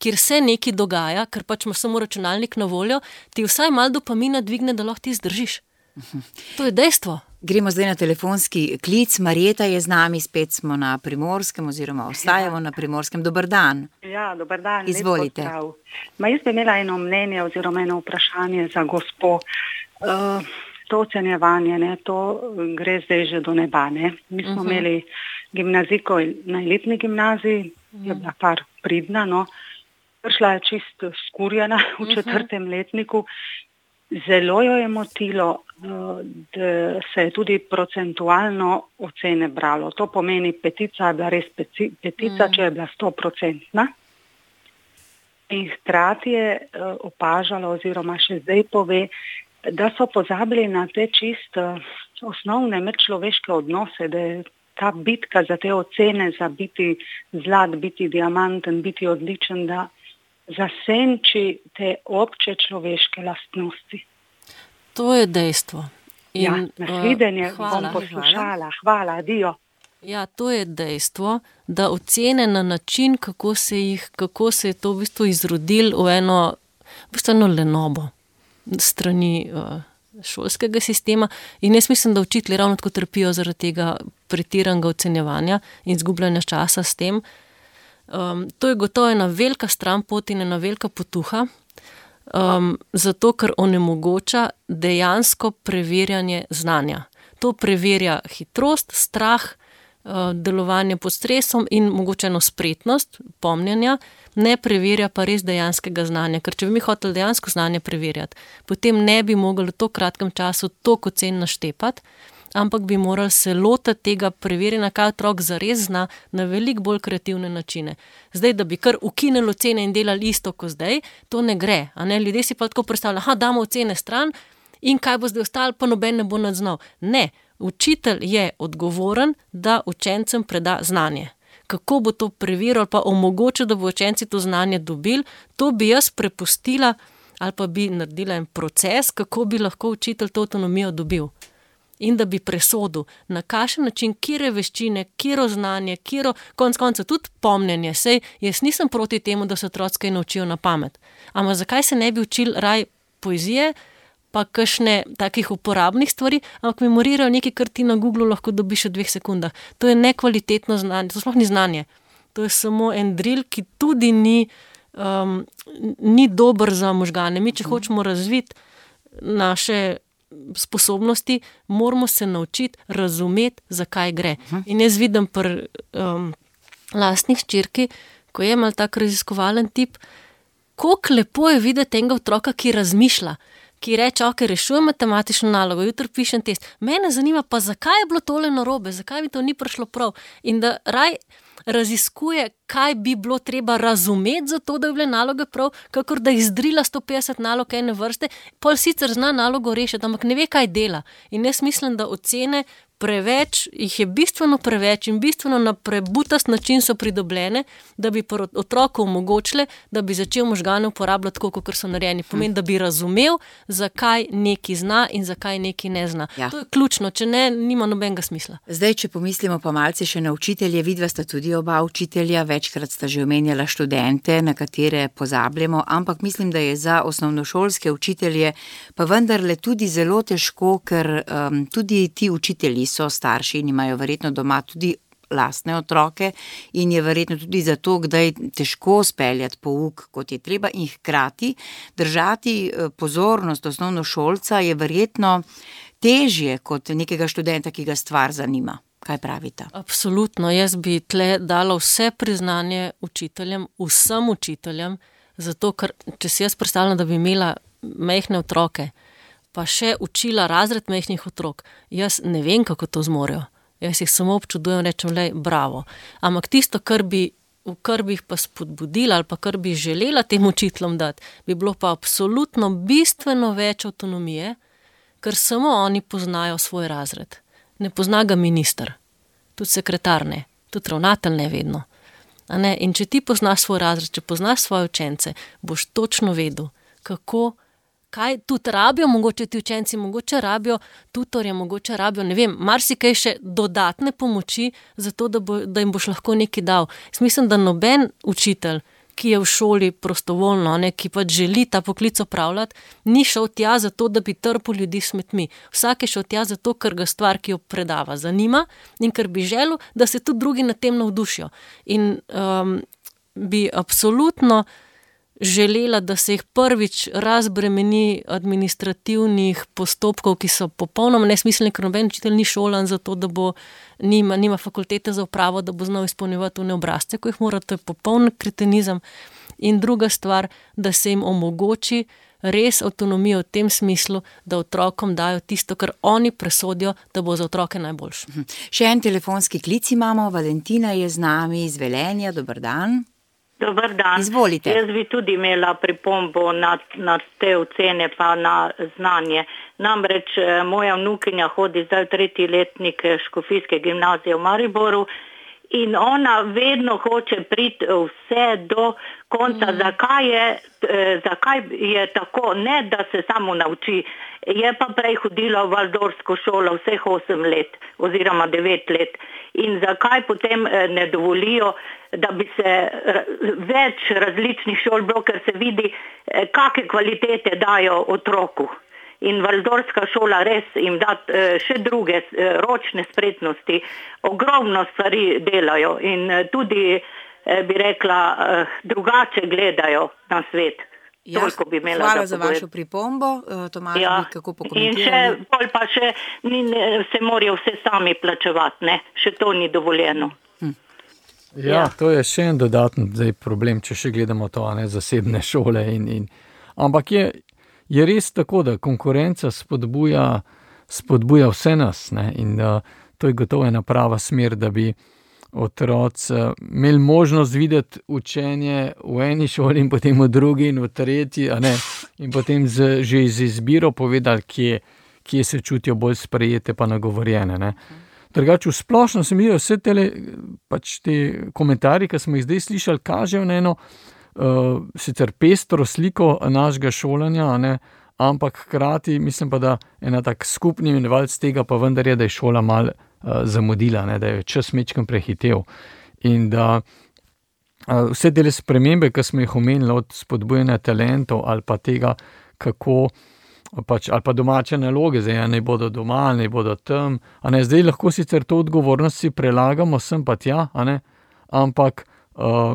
kjer se nekaj dogaja, ker pač imaš samo računalnik na voljo, ti vsaj malo dopamina dvigne, da lahko ti zdržiš. To je dejstvo. Gremo zdaj na telefonski klic. Marjeta je z nami, spet smo na Primorskem oziroma ostajamo na Primorskem. Dober dan. Ja, dober dan. Izvolite. Ma jaz bi imela eno mnenje oziroma eno vprašanje za gospo. Uh, to ocenjevanje, ne, to gre zdaj že do neba. Ne. Mi smo uh-huh. imeli gimnazijko na elitni gimnaziji, uh-huh. je bila kar pridna, no. Prišla je čist skurjena v četrtem uh-huh. letniku. Zelo jo je motilo, da se je tudi procentualno ocene bralo. To pomeni, petica je bila res peci, petica, mm. če je bila stoprocentna. In hkrati je opažala oziroma še zdaj pove, da so pozabili na te čist osnovne medčloveške odnose, da je ta bitka za te ocene, za biti zlat, biti diamanten, biti odličen, da zasenči te obče človeške lastnosti. To je dejstvo. In, ja, nasvidenje uh, bom poslušala. Hvala, adijo. Ja, to je dejstvo, da ocene na način, kako se, jih, kako se je to v bistvu izrodil v eno, v bistvu eno lenobo strani uh, šolskega sistema. In jaz mislim, da učitelji ravno tako trpijo zaradi tega pretiranega ocenjevanja in izgubljanja časa s tem. Um, to je gotovo ena velika stranpot in ena velika potuha, um, zato ker onemogoča dejansko preverjanje znanja. To preverja hitrost, strah, uh, delovanje pod stresom in mogoče eno spretnost, pomnjenja, ne preverja pa res dejanskega znanja. Ker če bi mi hoteli dejansko znanje preverjati, potem ne bi mogli v to kratkem času toliko ocen naštepati, ampak bi morali se lotiti tega preverjanja, kaj otrok zares zna, na veliko bolj kreativne načine. Zdaj, da bi kar ukinili ocene in delali isto kot zdaj, to ne gre. A ne? Ljudje si pa tako predstavljajo, aha, damo ocene stran in kaj bo zdaj ostalo, pa noben ne bo nadznal. Ne, učitelj je odgovoren, da učencem preda znanje. Kako bo to preveril, pa omogočil, da bo učenci to znanje dobili, to bi jaz prepustila ali pa bi naredila en proces, kako bi lahko učitelj to avtonomijo dobil. In da bi presodil, na kakšen način, kire veščine, kiro znanje, kiro, konc konca tudi pomnjenje. Sej, jaz nisem proti temu, da se otroci kaj naučijo na pamet. Ampak zakaj se ne bi učili raj poezije, pa kakšne takih uporabnih stvari, ampak memorirajo nekaj, kar ti na Googlu lahko dobiš v dveh sekundah. To je nekvalitetno znanje, to sploh ni znanje. To je samo en drill, ki tudi ni, um, ni dober za možgane. Mi, če hočemo razviti naše sposobnosti, moramo se naučiti razumeti, zakaj gre. In jaz vidim pri um, lastnih hčerki, ko je mal tak raziskovalen tip, koliko lepo je videti enega otroka, ki razmišlja, ki reče, ok, rešujem matematično nalogo, jutri pišem test. Mene zanima pa, zakaj je bilo tole narobe, zakaj mi to ni prišlo prav. In da raj raziskuje, kaj bi bilo treba razumeti za to, da je bile naloge prav, kakor da izdrila sto petdeset nalog ene vrste, pol sicer zna nalogo rešiti, ampak ne ve, kaj dela. In jaz mislim, da ocene preveč, jih je bistveno preveč in bistveno na prebutast način so pridobljene, da bi otroku omogočile, da bi začel možgane uporabljati tako, kot so narejeni. Pomeni, da bi razumel, zakaj neki zna in zakaj neki ne zna. Ja. To je ključno, če ne, nima nobenega smisla. Zdaj, če pomislimo pa malce še na učitelje, vidva sta tudi oba učitelja, večkrat sta že omenjala študente, na katere pozabljamo, ampak mislim, da je za osnovnošolske učitelje pa vendarle tudi zelo težko, ker um, tudi ti učitelji so starši in imajo verjetno doma tudi lastne otroke in je verjetno tudi zato, kdaj težko speljati pouk, kot je treba, in hkrati držati pozornost osnovnošolca je verjetno težje kot nekega študenta, ki ga stvar zanima. Kaj pravite? Absolutno, jaz bi tle dala vse priznanje učiteljem, vsem učiteljem, zato ker, če si jaz predstavljam, da bi imela majhne otroke, pa še učila razred majhnih otrok, jaz ne vem, kako to zmorejo. Jaz jih samo občudujem, rečem, lej, bravo. Ampak tisto, kar bi, kar bi jih pa spodbudila ali pa kar bi želela tem učiteljem dati, bi bilo pa absolutno bistveno več avtonomije, ker samo oni poznajo svoj razred. Ne pozna ga minister, tudi sekretar ne, tudi ravnatelj ne vedno. A ne? In če ti poznaš svoj razred, če poznaš svoje učence, boš točno vedel, kako kaj tudi rabijo, mogoče ti učenci, mogoče rabijo tutorje, mogoče rabijo, ne vem, marsikaj še dodatne pomoči, zato da, bo, da jim boš lahko nekaj dal. Jaz mislim, da noben učitelj, ki je v šoli prostovoljno, ne, ki pač želi ta poklic opravljati, ni šel tja zato, da bi trpel ljudi s smetmi. Vsak je šel tja zato, ker ga stvar, ki jo predava, zanima in ker bi želel, da se tudi drugi na tem navdušijo. In um, bi absolutno želela, da se jih prvič razbremeni administrativnih postopkov, ki so popolnoma nesmiselni, ker noben učitelj ni šolan za to, da bo nima, nima fakultete za upravo, da bo znal izpolnjevati one obrazce, ko jih mora, to je popoln kretenizem. In druga stvar, da se jim omogoči res avtonomijo v tem smislu, da otrokom dajo tisto, kar oni presodijo, da bo za otroke najboljše. Še en telefonski klic imamo, Valentina je z nami iz Velenja, dober dan. Dobar dan. Izvolite. Jaz bi tudi imela pripombo na, na te ocene pa na znanje. Namreč moja vnukinja hodi zdaj v tretji letnik Škofijske gimnazije v Mariboru in ona vedno hoče priti vse do konca. Mm. Zakaj je, zakaj je tako? Ne, da se samo nauči. Je pa prej hodila v Valdorsko šolo vseh osem let oziroma devet let. In zakaj potem ne dovolijo, da bi se več različnih šol bilo, ker se vidi, kakšne kvalitete dajo otroku. In Valdorska šola res jim da še druge ročne spretnosti, ogromno stvari delajo in tudi, bi rekla, drugače gledajo na svet. Ja, hvala za vašo pripombo, Tomaž, ja, bi kako pokomentirali. In še, pol pa še ni, se morajo vse sami plačevati, ne? Še to ni dovoljeno. Hm. Ja, ja, to je še en dodaten zdaj problem, če še gledamo to, ne, zasebne šole. In, in, ampak je, je res tako, da konkurenca spodbuja, spodbuja vse nas, ne? In uh, to je gotovo ena prava smer, da bi otroci imeli možnost videti učenje v eni šoli in potem v drugi in v tretji, a ne, in potem z, že z izbiro povedali, kje, kje se čutijo bolj sprejete pa nagovorjene. Ne. Drugače, v splošno se mi zdi, vse tele, pač te komentarji, ki smo jih zdaj slišali, kažejo na eno uh, sicer pestro sliko našega šolanja, a ne, ampak hkrati mislim pa, da ena tak skupni imenovalec tega pa vendar je, da je šola malo zamudila, ne, da je čas mečkam prehitev in da uh, vse dele spremembe, ki smo jih omenili od spodbujanja talentov ali pa tega, kako pač, ali pa domače naloge, zdaj ne bodo doma, ne bodo tam, a ne, zdaj lahko sicer to odgovornost si prelagamo sem pa tja, a ne, ampak uh,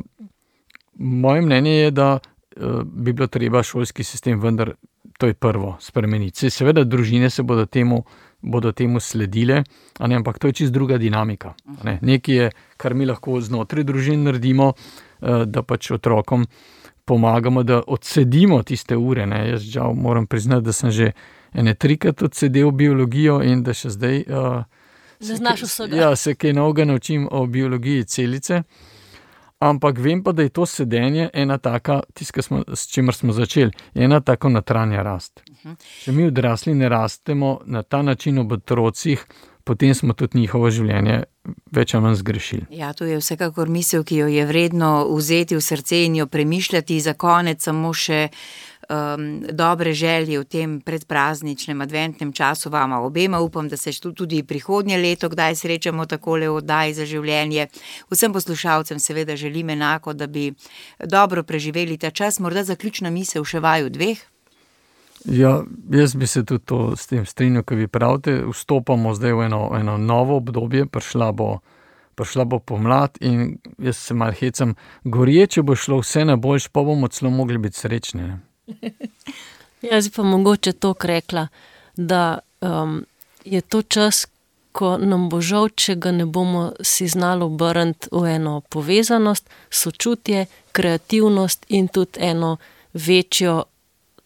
moje mnenje je, da uh, bi bilo treba šolski sistem vendar, to je prvo, spremeniti. Seveda družine se bodo temu bodo temu sledile, a ne, ampak to je čisto druga dinamika. Ne. Nekaj je, kar mi lahko znotraj družin naredimo, da pač otrokom pomagamo, da odsedimo tiste ure. Ne. Jaz žal moram priznati, da sem že ene trikrat odsedel biologijo in da še zdaj uh, se, kaj, ja, se kaj novega naučim o biologiji celice. Ampak vem pa, da je to sedenje ena taka, tiska smo, s čimer smo začeli, ena tako notranja rast. Če mi odrasli ne rastemo na ta način ob otrocih, potem smo tudi njihovo življenje več ali manj zgrešili. Ja, to je vsekakor misel, ki jo je vredno vzeti v srce in jo premišljati. Za konec samo še um, dobre želje v tem predprazničnem adventnem času vama obema. Upam, da se tudi prihodnje leto kdaj srečamo takole v oddaji za življenje. Vsem poslušalcem seveda želim enako, da bi dobro preživeli ta čas. Morda zaključna misel še vaju dveh? Ja, jaz bi se tudi to s tem strinjal, ko vi pravite, vstopamo zdaj v eno, eno novo obdobje, prišla bo, prišla bo pomlad in jaz se malo hecam, gorje, če bo šlo vse na boljš, pa bomo celo mogli biti srečni. Jaz bi pa mogoče to rekla, da um, je to čas, ko nam bo žal, če ga ne bomo si znali obrniti v eno povezanost, sočutje, kreativnost in tudi eno večjo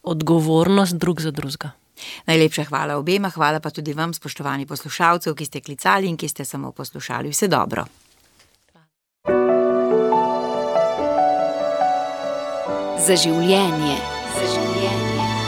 odgovornost drug za drugega. Najlepša hvala obema, hvala pa tudi vam, spoštovani poslušalcev, ki ste klicali in ki ste samo poslušali. Vse dobro. Za življenje. Za življenje.